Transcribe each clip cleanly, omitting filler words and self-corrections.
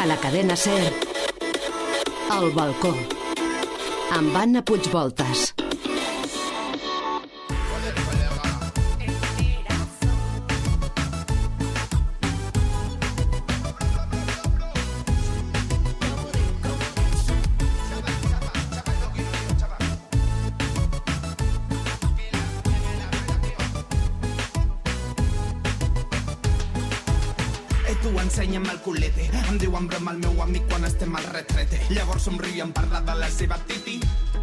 A la cadena SER, El balcó, amb Anna Puigvoltas. Ensenya'm el culete, em diu en broma el meu amic quan estem al retrete. Llavors somriu i em parla de la seva titi.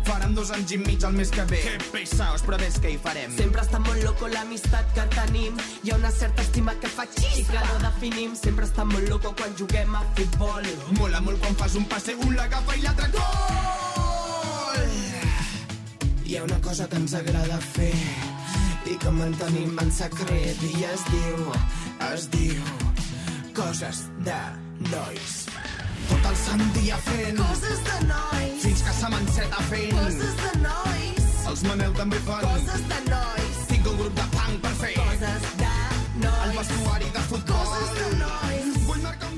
Farem 2 anys i mig el mes que ve. Que pesaos, però ves què hi farem. Sempre està molt loco l'amistat que tenim. Hi ha una certa estima que fa xispa i que no definim. Sempre està molt loco quan juguem a futbol. Mola molt quan fas un passe, un l'agafa i l'altre gol. Hi ha una cosa que ens agrada fer i que mantenim en secret i es diu coses de nois. Tot el sant dia fent coses de nois. Fins que se m'enceta fent coses de nois. Els Manel també fan coses de nois. Tinc un grup de punk per fer coses de nois. El vestuari de futbol. Coses de nois.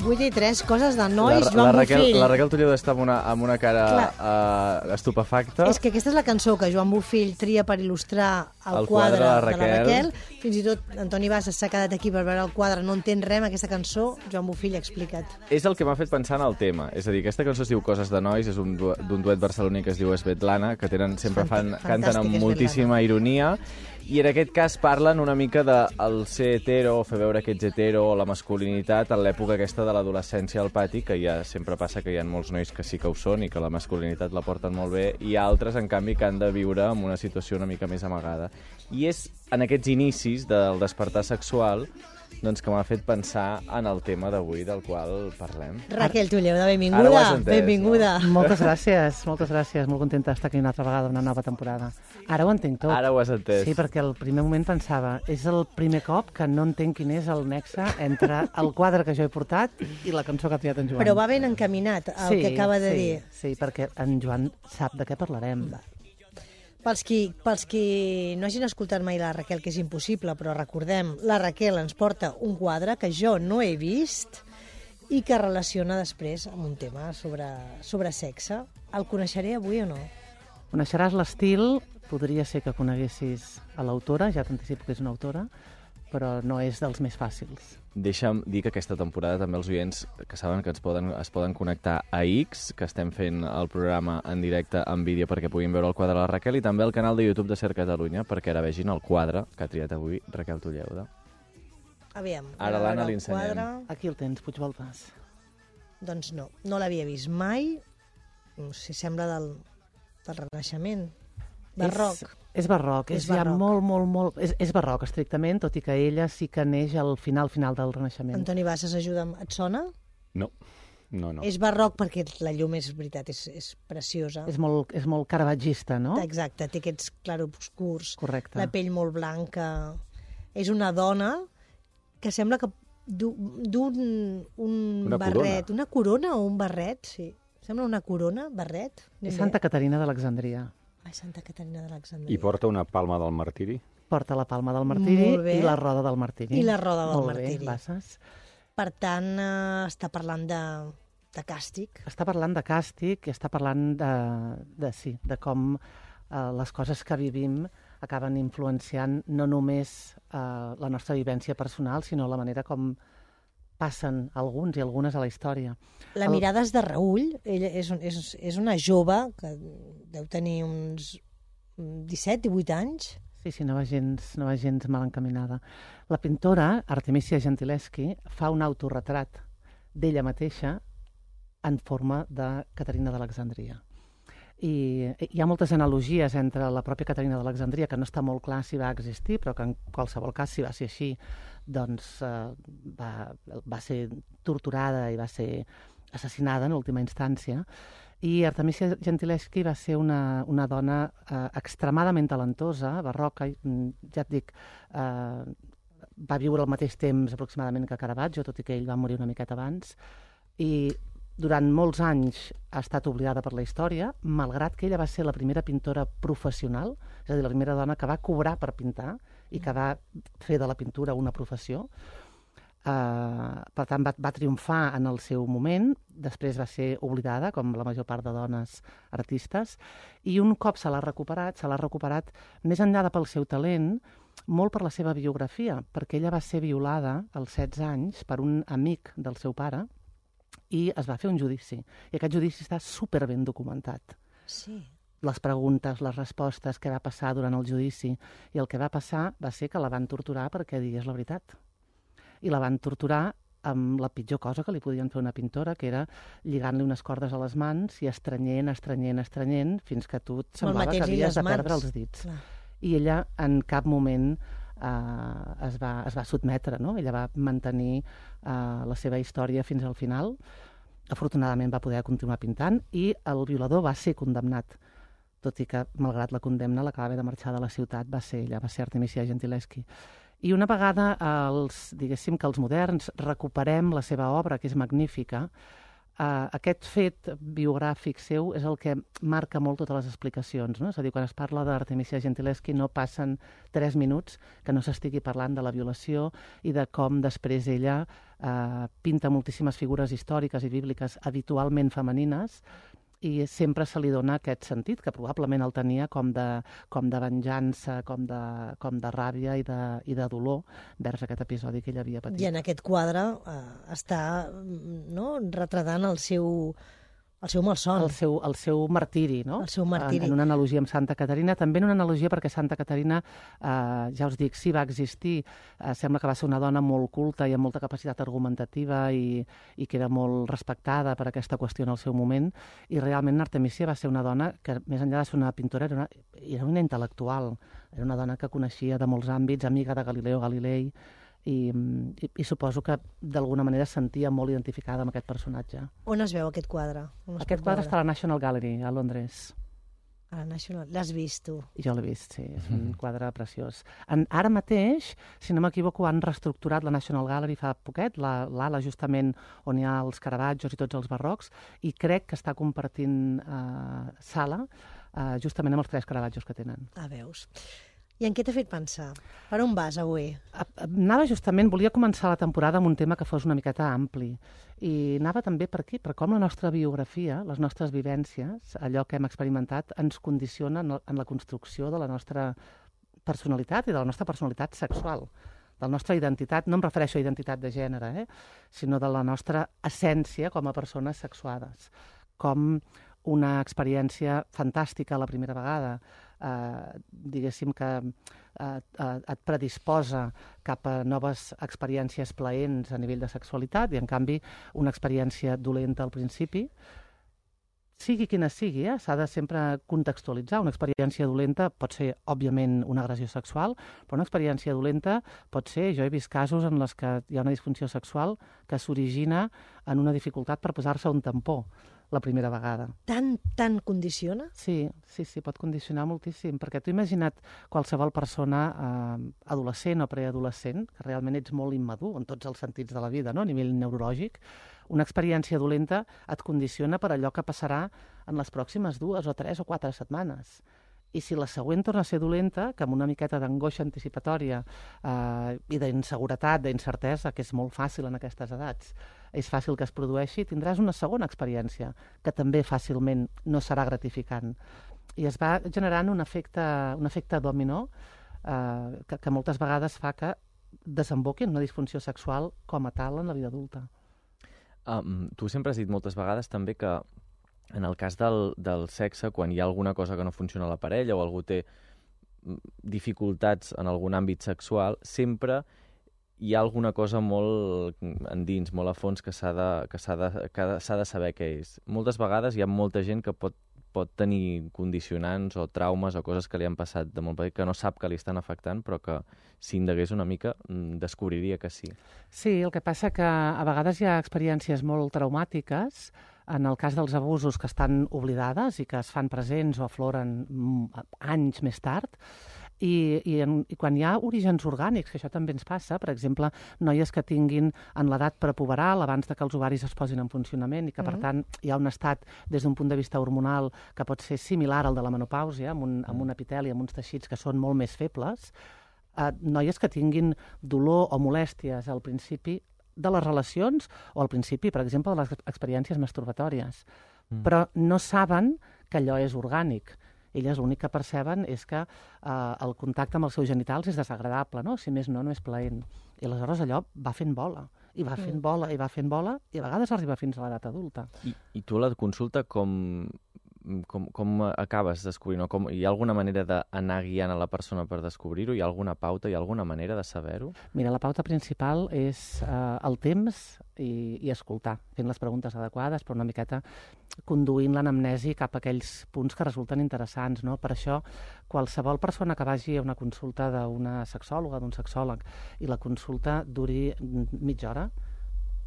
8 i 3, coses de nois, Joan Bofill. La Raquel Toledo està amb una cara estupefacta. És que aquesta és la cançó que Joan Bofill tria per il·lustrar el quadre de la Raquel. Fins i tot Antoni Bassas s'ha quedat aquí per veure el quadre, no entén res amb aquesta cançó, Joan Bofill ha explicat. És el que m'ha fet pensar en el tema. És a dir, aquesta cançó es diu Coses de nois, és d'un duet barceloní que es diu Svetlana, que sempre canten amb moltíssima ironia. I en aquest cas parlen una mica del ser hetero, fer veure que ets hetero, o la masculinitat en l'època aquesta de l'adolescència al pati, que ja sempre passa que hi ha molts nois que sí que ho són i que la masculinitat la porten molt bé, i altres, en canvi, que han de viure en una situació una mica més amagada. I és en aquests inicis del despertar sexual que m'ha fet pensar en el tema d'avui del qual parlem. Raquel Toledo, benvinguda. Benvinguda. No? Moltes gràcies. Molt contenta d'estar aquí una altra vegada, una nova temporada. Ara ho entenc tot. Ara ho has entès. Sí, perquè al primer moment pensava, és el primer cop que no entenc quin és el nexe entre el quadre que jo he portat i la cançó que ha triat en Joan. Però va ben encaminat el que acaba de dir. Sí, perquè en Joan sap de què parlarem. Pels qui no hagin escoltat mai la Raquel, que és impossible, però recordem, la Raquel ens porta un quadre que jo no he vist i que relaciona després amb un tema sobre sexe. El coneixeré avui o no? Coneixeràs l'estil, podria ser que coneguessis a l'autora, ja t'anticipo que és una autora, però no és dels més fàcils. Deixa'm dir que aquesta temporada també els oients que saben que es poden connectar a X, que estem fent el programa en directe en vídeo perquè puguin veure el quadre de la Raquel, i també al canal de YouTube de SER Catalunya perquè ara vegin el quadre que ha triat avui Raquel Toledo. Aviam. Ara l'Anna li ensenyem. Aquí el tens, Puigvoltas. Doncs no l'havia vist mai. No sé, sembla del Renaixement. Barroc. És barroc, és ja molt... És barroc, estrictament, tot i que ella sí que neix al final del Renaixement. Antoni Bassas, ajuda'm. Et sona? No. És barroc perquè la llum és veritat, és preciosa. És molt caravagista, no? Exacte, té aquests clarobscurs. Correcte. La pell molt blanca. És una dona que sembla que un barret. Una corona o un barret, sí. Sembla una corona, barret. És Santa Caterina d'Alexandria. Santa Caterina d'Alexandria. I porta una palma del martiri? Porta la palma del martiri i la roda del martiri. I la roda del martiri. Molt bé, Bassas. Per tant, està parlant de càstig. Està parlant de càstig i està parlant de com les coses que vivim acaben influenciant no només la nostra vivència personal, sinó la manera com passen alguns i algunes a la història. La mirada és de Raül. Ella és una jove que deu tenir uns 17-18 anys. Sí, no va gens mal encaminada. La pintora, Artemisia Gentileschi, fa un autorretrat d'ella mateixa en forma de Caterina d'Alexandria. I hi ha moltes analogies entre la pròpia Caterina d'Alexandria, que no està molt clar si va existir, però que en qualsevol cas, si va ser així, doncs va ser torturada i va ser assassinada en última instància. I Artemisia Gentileschi va ser una dona extremadament talentosa, barroca, ja et dic, va viure al mateix temps aproximadament que Caravaggio, tot i que ell va morir una miqueta abans, i durant molts anys ha estat oblidada per la història, malgrat que ella va ser la primera pintora professional, és a dir, la primera dona que va cobrar per pintar i que va fer de la pintura una professió. Per tant, va triomfar en el seu moment després va ser oblidada, com la major part de dones artistes, i un cop se l'ha recuperat més enllà de pel seu talent, molt per la seva biografia, perquè ella va ser violada als 16 anys per un amic del seu pare i es va fer un judici. I aquest judici està superben documentat. Sí. Les preguntes, les respostes, què va passar durant el judici. I el que va passar va ser que la van torturar perquè digués la veritat. I la van torturar amb la pitjor cosa que li podien fer una pintora, que era lligant-li unes cordes a les mans i estrenyent, fins que tu et semblava que havies de perdre els dits. Clar. I ella en cap moment es va sotmetre, no? Ella va mantenir la seva història fins al final. Afortunadament va poder continuar pintant i el violador va ser condemnat, tot i que, malgrat la condemna, la que va haver de marxar de la ciutat va ser ella, va ser Artemisia Gentileschi. I una vegada diguéssim que els moderns recuperem la seva obra, que és magnífica, aquest fet biogràfic seu és el que marca molt totes les explicacions, no? És a dir, quan es parla d'Artemisia Gentileschi no passen 3 minuts que no s'estigui parlant de la violació i de com després ella pinta moltíssimes figures històriques i bíbliques habitualment femenines, i sempre se li dona aquest sentit, que probablement el tenia com de venjança, com de ràbia i de dolor vers aquest episodi que ell havia patit. I en aquest quadre està retratant el seu malson. El seu martiri, no? El seu martiri. En una analogia amb Santa Caterina. També en una analogia perquè Santa Caterina, ja us dic, sí va existir. Sembla que va ser una dona molt culta i amb molta capacitat argumentativa i que era molt respectada per aquesta qüestió en el seu moment. I realment Artemisia va ser una dona que, més enllà de ser una pintora, era una intel·lectual. Era una dona que coneixia de molts àmbits, amiga de Galileo Galilei, i suposo que d'alguna manera es sentia molt identificada amb aquest personatge. On es veu aquest quadre? Aquest quadre està a la National Gallery, a Londres. A la National... L'has vist, tu? Jo l'he vist, sí. És un quadre preciós. Ara mateix, si no m'equivoco, han reestructurat la National Gallery fa poquet, l'ala justament on hi ha els Caravaggios i tots els barrocs, i crec que està compartint sala justament amb els 3 Caravaggios que tenen. Veus. I en què t'ha fet pensar? Per on vas avui? Volia començar la temporada amb un tema que fos una miqueta ampli. I anava també per aquí, per com la nostra biografia, les nostres vivències, allò que hem experimentat, ens condiciona en la construcció de la nostra personalitat i de la nostra personalitat sexual, de la nostra identitat, no em refereixo a identitat de gènere, sinó de la nostra essència com a persones sexuades. Com una experiència fantàstica la primera vegada, diguéssim que et predisposa cap a noves experiències plaents a nivell de sexualitat i, en canvi, una experiència dolenta al principi, sigui quina sigui, s'ha de sempre contextualitzar. Una experiència dolenta pot ser, òbviament, una agressió sexual, però una experiència dolenta pot ser, jo he vist casos en les que hi ha una disfunció sexual que s'origina en una dificultat per posar-se un tampó la primera vegada. Tant condiciona? Sí, pot condicionar moltíssim, perquè tu imagina't qualsevol persona adolescent o preadolescent, que realment ets molt immadur en tots els sentits de la vida, no? A nivell neurològic, una experiència dolenta et condiciona per allò que passarà en les pròximes 2 o 3 o 4 setmanes. I si la següent torna a ser dolenta, que amb una miqueta d'angoixa anticipatòria i d'inseguretat, d'incertesa, que és molt fàcil en aquestes edats, és fàcil que es produeixi, tindràs una segona experiència, que també fàcilment no serà gratificant. I es va generant un efecte dominó que moltes vegades fa que desemboqui en una disfunció sexual com a tal en la vida adulta. Tu sempre has dit moltes vegades també que en el cas del sexe, quan hi ha alguna cosa que no funciona a la parella o algú té dificultats en algun àmbit sexual, sempre hi ha alguna cosa molt endins, molt a fons, que s'ha de saber què és. Moltes vegades hi ha molta gent que pot tenir condicionants o traumes o coses que li han passat de molt petit que no sap que li estan afectant, però que si indagués una mica descobriria que sí. Sí, el que passa que a vegades hi ha experiències molt traumàtiques, en el cas dels abusos que estan oblidades i que es fan presents o afloren anys més tard, i quan hi ha orígens orgànics, que això també ens passa, per exemple, noies que tinguin en l'edat prepuberal, abans de que els ovaris es posin en funcionament, i que, per tant, hi ha un estat, des d'un punt de vista hormonal, que pot ser similar al de la menopàusia, amb un epiteli, amb uns teixits que són molt més febles, noies que tinguin dolor o molèsties al principi, de les relacions o al principi, per exemple, de les experiències masturbatòries. Però no saben que allò és orgànic. Elles l'únic que perceben és que el contacte amb els seus genitals és desagradable, no? Si més no és plaent. I aleshores allò va fent bola, i va fent bola, i va fent bola, i a vegades arriba fins a l'edat adulta. I tu a la consulta com acabes descobrint? Hi ha alguna manera d'anar guiant a la persona per descobrir-ho? Hi ha alguna pauta? Hi ha alguna manera de saber-ho? Mira, la pauta principal és el temps i escoltar, fent les preguntes adequades, però una miqueta conduint l'anamnesi cap a aquells punts que resulten interessants, no? Per això, qualsevol persona que vagi a una consulta d'una sexòloga, d'un sexòleg, i la consulta duri mitja hora,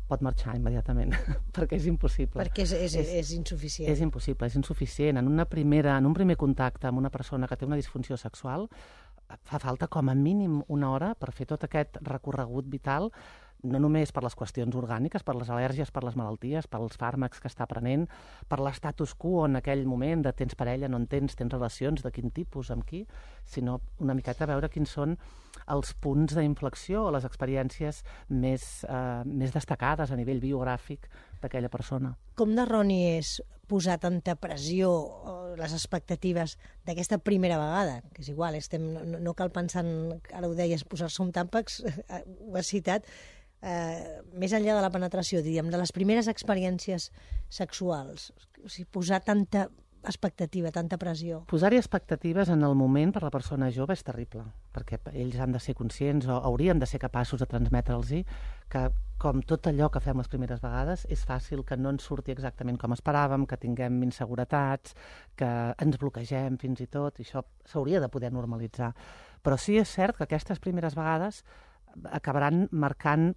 pot marxar immediatament, perquè és impossible. Perquè és insuficient. És impossible, és insuficient. En un primer contacte amb una persona que té una disfunció sexual, fa falta com a mínim una hora per fer tot aquest recorregut vital, no només per les qüestions orgàniques, per les al·lèrgies, per les malalties, pels fàrmacs que està prenent, per l'estatus quo en aquell moment de tens parella, no en tens relacions, de quin tipus, amb qui, sinó una miqueta veure quins són els punts d'inflexió o les experiències més destacades a nivell biogràfic d'aquella persona. Com d'erroni és posar tanta pressió o les expectatives d'aquesta primera vegada? Que és igual, no cal pensar en, ara ho deies, posar-se un tàmpax, ho has citat, més enllà de la penetració, diríem, de les primeres experiències sexuals, o sigui, posar tanta expectativa, tanta pressió. Posar-hi expectatives en el moment per la persona jove és terrible, perquè ells han de ser conscients o haurien de ser capaços de transmetre'ls-hi que, com tot allò que fem les primeres vegades, és fàcil que no ens surti exactament com esperàvem, que tinguem inseguretats, que ens bloquegem fins i tot, i això s'hauria de poder normalitzar. Però sí és cert que aquestes primeres vegades acabaran marcant,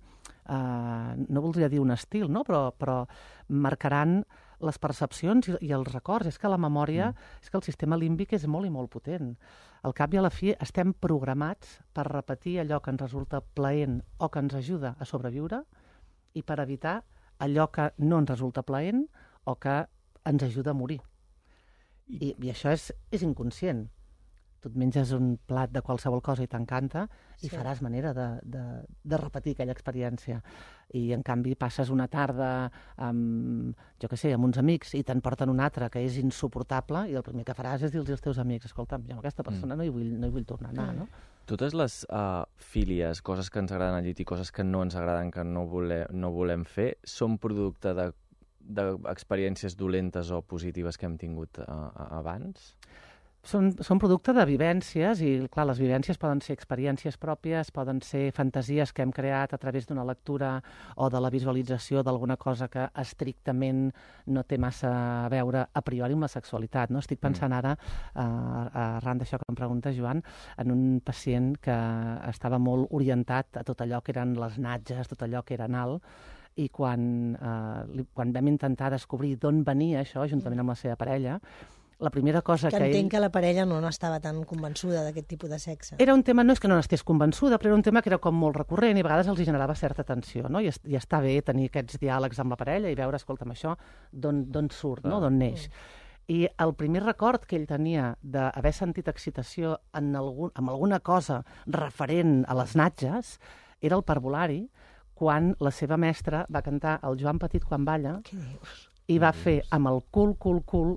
no voldria dir un estil, no? però marcaran les percepcions i els records. És que la memòria, és que el sistema límbic és molt i molt potent. Al cap i a la fi estem programats per repetir allò que ens resulta plaent o que ens ajuda a sobreviure i per evitar allò que no ens resulta plaent o que ens ajuda a morir. I això és inconscient. Tu et menges un plat de qualsevol cosa i t'encanta i faràs manera de repetir aquella experiència. I, en canvi, passes una tarda amb, amb uns amics i te'n porten una altra que és insuportable i el primer que faràs és dir-los als teus amics: escolta'm, jo amb aquesta persona no hi vull tornar a anar, no? Totes les fílies, coses que ens agraden al llit i coses que no ens agraden, que no volem fer, són producte d'experiències dolentes o positives que hem tingut abans? Són producte de vivències i, clar, les vivències poden ser experiències pròpies, poden ser fantasies que hem creat a través d'una lectura o de la visualització d'alguna cosa que estrictament no té massa a veure a priori amb la sexualitat, no? Estic pensant ara, arran d'això que em pregunta, Joan, en un pacient que estava molt orientat a tot allò que eren les natges, tot allò que era anal, i quan vam intentar descobrir d'on venia això, juntament amb la seva parella, la primera cosa que entenc que la parella no estava tan convençuda d'aquest tipus de sexe. Era un tema, no és que no n'estés convençuda, però era un tema que era com molt recurrent i a vegades els generava certa tensió, no? I està bé tenir aquests diàlegs amb la parella i veure, escolta'm, això d'on surt, no? D'on neix. I el primer record que ell tenia d'haver sentit excitació amb alguna cosa referent a les natges era el parvulari, quan la seva mestra va cantar El Joan Petit quan balla. Què dius? I va fer amb el cul,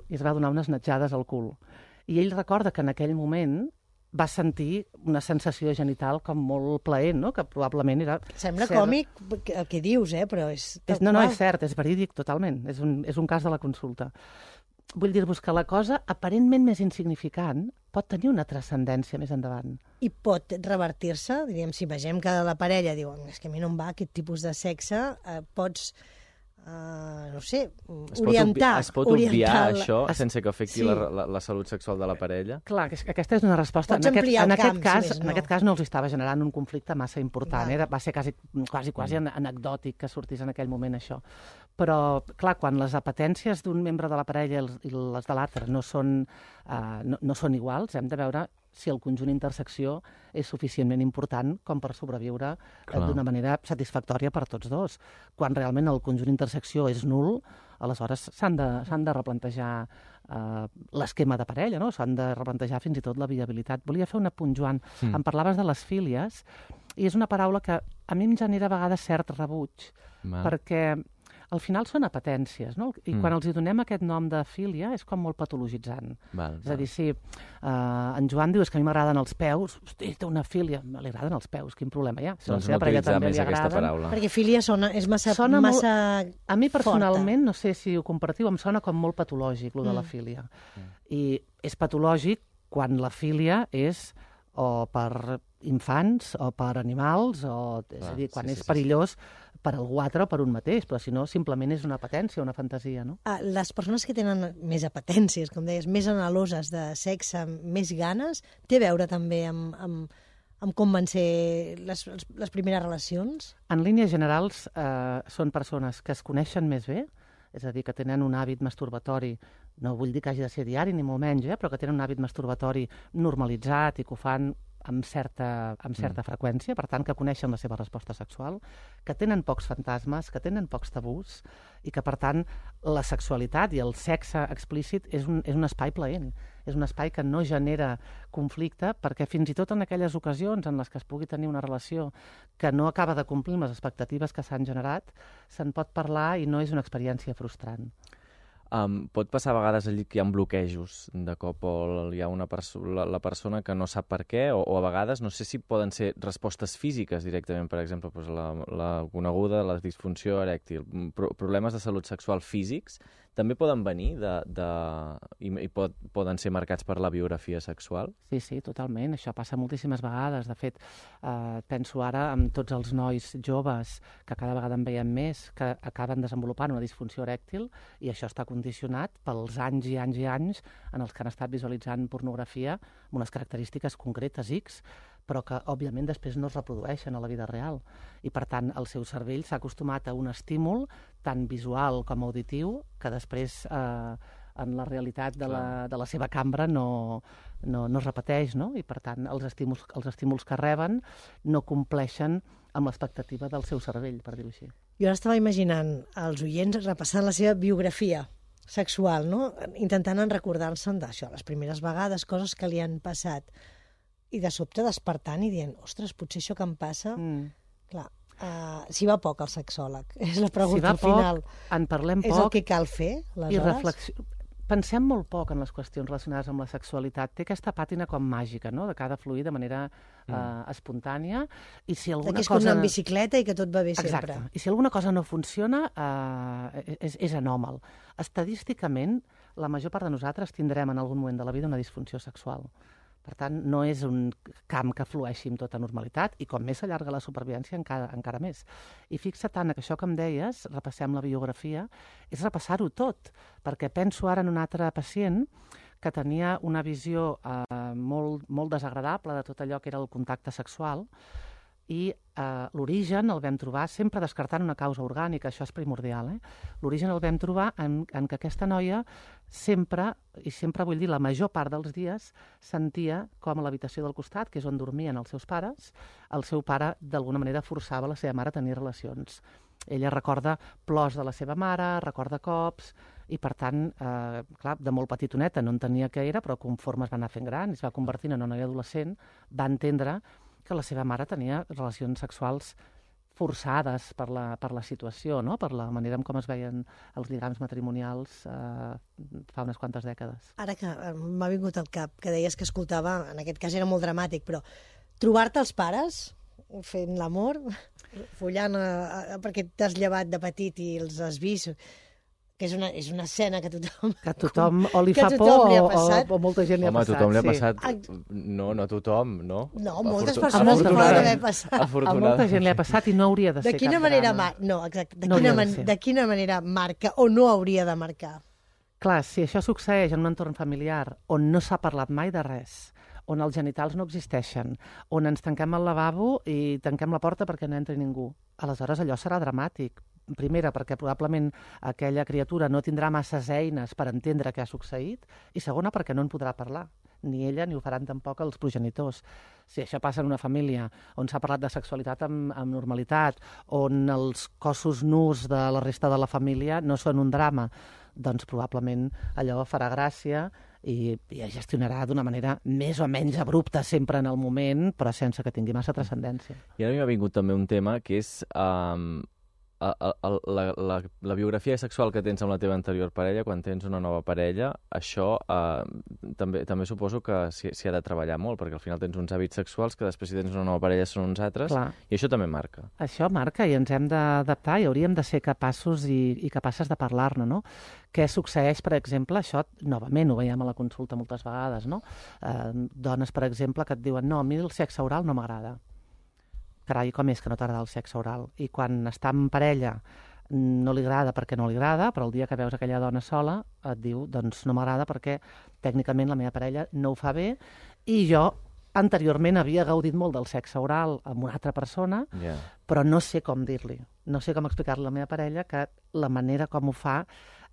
i es va donar unes natjades al cul. I ell recorda que en aquell moment va sentir una sensació genital com molt plaent, no? Que probablement era... Sembla còmic el que dius, però és... No, és cert, és verídic totalment. És un cas de la consulta. Vull dir-vos que la cosa aparentment més insignificant pot tenir una transcendència més endavant. I pot revertir-se, diríem, si vegem que la parella diu és que a mi no em va aquest tipus de sexe, pots... no sé, orientar... Es pot obviar això sense que afecti la salut sexual de la parella? Clar, aquesta és una resposta. Pots ampliar el camp, en aquest cas no els estava generant un conflicte massa important. Va ser quasi anecdòtic que sortís en aquell moment això. Però, clar, quan les apetències d'un membre de la parella i les de l'altre no són iguals, hem de veure si el conjunt intersecció és suficientment important com per sobreviure d'una manera satisfactòria per tots dos. Quan realment el conjunt intersecció és nul, aleshores s'han de replantejar l'esquema de parella, no? S'han de replantejar fins i tot la viabilitat. Volia fer un apunt, Joan. Em parlaves de les fílies. i és una paraula que a mi em genera a vegades cert rebuig, perquè al final són apetències, no? I quan els hi donem aquest nom de fília és com molt patologitzant. És a dir, si en Joan diu que a mi m'agraden els peus, hosti, té una fília, li agraden els peus, quin problema hi ha? Doncs no utilitzar més aquesta paraula. Perquè fília és massa a mi personalment, forta. no sé si ho compartiu, em sona com molt patològic, lo de la fília. I és patològic quan la fília és o per infants o per animals, és a dir, quan és perillós per algú altre o per un mateix, però si no, simplement és una apetència, una fantasia, no? Les persones que tenen més apetències, com deies, més anheloses de sexe, més ganes, té a veure també amb com van ser les primeres relacions? En línies generals, són persones que es coneixen més bé, és a dir, que tenen un hàbit masturbatori, no vull dir que hagi de ser diari, ni molt menys, però que tenen un hàbit masturbatori normalitzat i que ho fan amb certa freqüència, per tant, que coneixen la seva resposta sexual, que tenen pocs fantasmes, que tenen pocs tabús, i que, per tant, la sexualitat i el sexe explícit és un espai plaent, és un espai que no genera conflicte, perquè fins i tot en aquelles ocasions en les que es pugui tenir una relació que no acaba de complir les expectatives que s'han generat, se'n pot parlar i no és una experiència frustrant. Pot passar a vegades allí que hi ha bloquejos de cop o hi ha la persona que no sap per què o a vegades no sé si poden ser respostes físiques directament, per exemple, la coneguda, la disfunció erèctil, problemes de salut sexual físics també poden venir i poden ser marcats per la biografia sexual? Sí, totalment. Això passa moltíssimes vegades. De fet, penso ara en tots els nois joves, que cada vegada en veiem més, que acaben desenvolupant una disfunció erèctil, i això està condicionat pels anys i anys i anys en els que han estat visualitzant pornografia amb unes característiques concretes X, però que, òbviament, després no es reprodueixen a la vida real. I, per tant, el seu cervell s'ha acostumat a un estímul tant visual com auditiu que després, en la realitat de la seva cambra, no es repeteix, no? I, per tant, els estímuls que reben no compleixen amb l'expectativa del seu cervell, per dir-ho així. Jo ara estava imaginant els oients repassant la seva biografia sexual, no? Intentant recordar-se'n d'això, les primeres vegades, coses que li han passat, i de sobte despertant i dient, ostres, potser això que em passa... Clar, si va poc al sexòleg, és la pregunta final. Si va poc, en parlem poc... És el que cal fer, aleshores? Pensem molt poc en les qüestions relacionades amb la sexualitat. Té aquesta pàtina com màgica, no?, de que ha de fluir de manera espontània. I si alguna que és com anar en bicicleta i que tot va bé sempre. Exacte. I si alguna cosa no funciona, és anòmal. Estadísticament, la major part de nosaltres tindrem en algun moment de la vida una disfunció sexual. Per tant, no és un camp que flueixi amb tota normalitat i com més s'allarga la supervivència encara més. I fixa't, Anna, que això que em deies, repassem la biografia, és repassar-ho tot, perquè penso ara en un altre pacient que tenia una visió molt desagradable de tot allò que era el contacte sexual i l'origen el vam trobar sempre descartant una causa orgànica, això és primordial. L'origen el vam trobar en que aquesta noia sempre vull dir la major part dels dies, sentia com a l'habitació del costat, que és on dormien els seus pares, el seu pare d'alguna manera forçava la seva mare a tenir relacions. Ella recorda plors de la seva mare, recorda cops, i per tant, clar, de molt petitoneta no entenia què era, però conforme es va anar fent gran, es va convertint en una noia adolescent, va entendre que la seva mare tenia relacions sexuals forçades per la situació, no?, per la manera en com es veien els lligams matrimonials fa unes quantes dècades. Ara que m'ha vingut al cap, que deies que escoltava, en aquest cas era molt dramàtic, però trobar-te els pares fent l'amor, follant perquè t'has llevat de petit i els has vist, que és una escena que tothom o li fa por o molta gent li ha passat. Home, a tothom li ha passat. No a tothom, no? No, moltes persones li poden haver passat. A molta gent li ha passat i no hauria de ser cap drama. De quina manera marca o no hauria de marcar? Clar, si això succeeix en un entorn familiar on no s'ha parlat mai de res, on els genitals no existeixen, on ens tanquem al lavabo i tanquem la porta perquè no entri ningú, aleshores allò serà dramàtic. Primera, perquè probablement aquella criatura no tindrà masses eines per entendre què ha succeït, i segona, perquè no en podrà parlar. Ni ella ni ho faran tampoc els progenitors. Si això passa en una família on s'ha parlat de sexualitat amb normalitat, on els cossos nus de la resta de la família no són un drama, doncs probablement allò farà gràcia i es gestionarà d'una manera més o menys abrupta sempre en el moment, però sense que tingui massa transcendència. I ara m'ha vingut també un tema que és la biografia sexual que tens amb la teva anterior parella, quan tens una nova parella, això també suposo que s'hi ha de treballar molt, perquè al final tens uns hàbits sexuals que després si tens una nova parella són uns altres, Clar. I això també marca. Això marca i ens hem d'adaptar i hauríem de ser capaços i capaces de parlar-ne, no? Què succeeix, per exemple, això, novament, ho veiem a la consulta moltes vegades, no? Dones, per exemple, que et diuen no, a mi el sexe oral no m'agrada. Carai, com és que no t'agrada el sexe oral? I quan està en parella no li agrada perquè no li agrada, però el dia que veus aquella dona sola et diu, doncs no m'agrada perquè tècnicament la meva parella no ho fa bé i jo anteriorment havia gaudit molt del sexe oral amb una altra persona, però no sé com dir-li, no sé com explicar-li a la meva parella que la manera com ho fa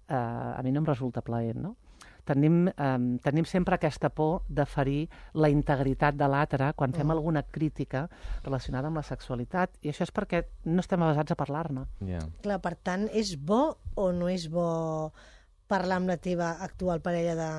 a mi no em resulta plaent, no? Tenim sempre aquesta por de ferir la integritat de l'altre quan fem alguna crítica relacionada amb la sexualitat, i això és perquè no estem avesats a parlar-ne. Clar, per tant, és bo o no és bo parlar amb la teva actual parella de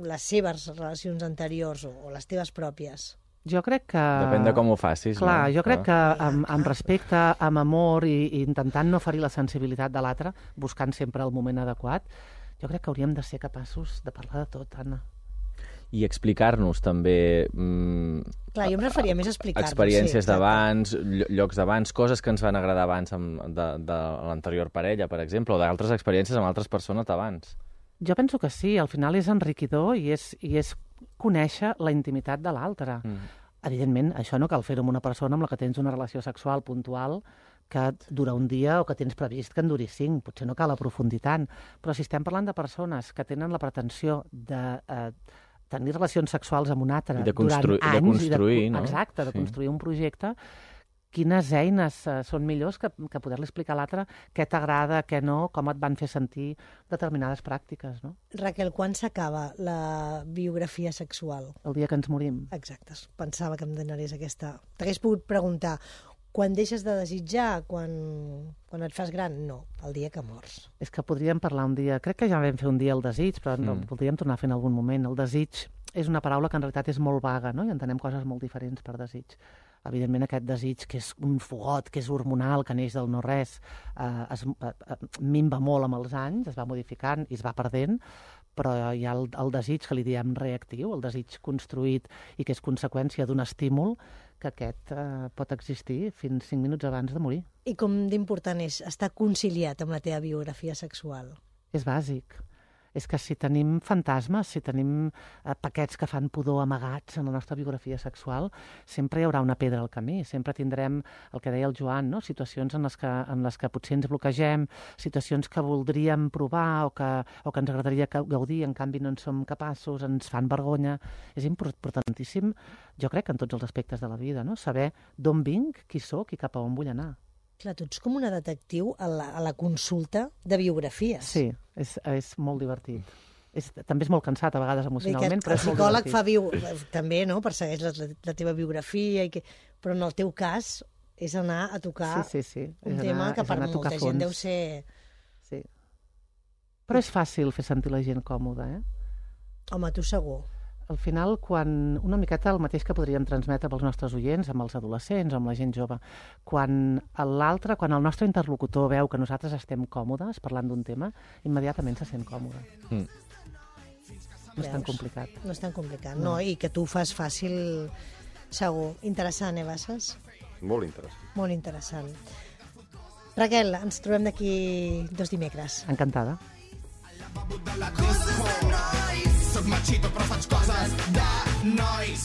les seves relacions anteriors o les teves pròpies? Jo crec que... Depèn de com ho facis. Clar, jo crec que amb respecte, amb amor i intentant no ferir la sensibilitat de l'altre, buscant sempre el moment adequat, jo crec que hauríem de ser capaços de parlar de tot, Anna. I explicar-nos també... Clar, jo em referia més a explicar-nos. Experiències d'abans, llocs d'abans, coses que ens van agradar abans de l'anterior parella, per exemple, o d'altres experiències amb altres persones d'abans. Jo penso que sí, al final és enriquidor i és conèixer la intimitat de l'altre. Evidentment, això no cal fer-ho amb una persona amb la que tens una relació sexual puntual que dura un dia o que tens previst que en duri 5. Potser no cal aprofundir tant. Però si estem parlant de persones que tenen la pretensió de tenir relacions sexuals amb un altre durant anys... De construir, no? Exacte, de construir un projecte. Quines eines són millors que poder-li explicar a l'altre què t'agrada, què no, com et van fer sentir determinades pràctiques, no? Raquel, quan s'acaba la biografia sexual? El dia que ens morim. Exacte, pensava que em donaries aquesta... T'hagués pogut preguntar... Quan deixes de desitjar? Quan et fas gran? No, el dia que mors. És que podríem parlar un dia... Crec que ja vam fer un dia el desig, però no, podríem tornar a fer en algun moment. El desig és una paraula que en realitat és molt vaga, no? I entenem coses molt diferents per desig. Evidentment, aquest desig, que és un fogot, que és hormonal, que neix del no-res, minva molt amb els anys, es va modificant i es va perdent, però hi ha el desig que li diem reactiu, el desig construït i que és conseqüència d'un estímul, que aquest pot existir fins 5 minuts abans de morir. I com d'important és estar conciliat amb la teva biografia sexual? És bàsic. És que si tenim fantasmes, si tenim paquets que fan pudor amagats en la nostra biografia sexual, sempre hi haurà una pedra al camí, sempre tindrem el que deia el Joan, no? Situacions en les que potser ens bloquegem, situacions que voldríem provar o que ens agradaria gaudir, en canvi no en som capaços, ens fan vergonya. És importantíssim, jo crec, en tots els aspectes de la vida, no? Saber d'on vinc, qui sóc i cap a on vull anar. Clar, tu ets com una detectiu a la consulta de biografies. Sí, és molt divertit. També és molt cansat, a vegades, emocionalment, però és molt divertit. El psicòleg també, no?, persegueix la teva biografia, però en el teu cas és anar a tocar un tema que per molta gent deu ser... Sí. Però és fàcil fer sentir la gent còmoda, eh? Home, tu segur. Al final, quan una miqueta el mateix que podríem transmetre pels nostres oients, amb els adolescents, amb la gent jove, quan el nostre interlocutor veu que nosaltres estem còmodes parlant d'un tema, immediatament se sent còmode. No és tan complicat. No és tan complicat, no, i que tu ho fas fàcil, segur. Interessant, Basses? Molt interessant. Molt interessant. Raquel, ens trobem d'aquí 2 dimecres. Encantada. Soc machito però faig coses de nois.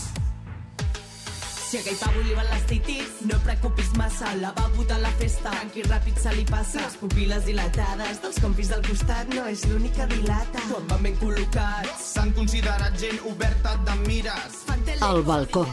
Si aquell pavo li van les titis, no preocupis massa, la va botar a la festa, tranquil ràpid se li passa. Les pupil·les dilatades dels compis del costat no és l'únic que dilata. Quan van ben col·locats s'han considerat gent oberta de mires. El balcó.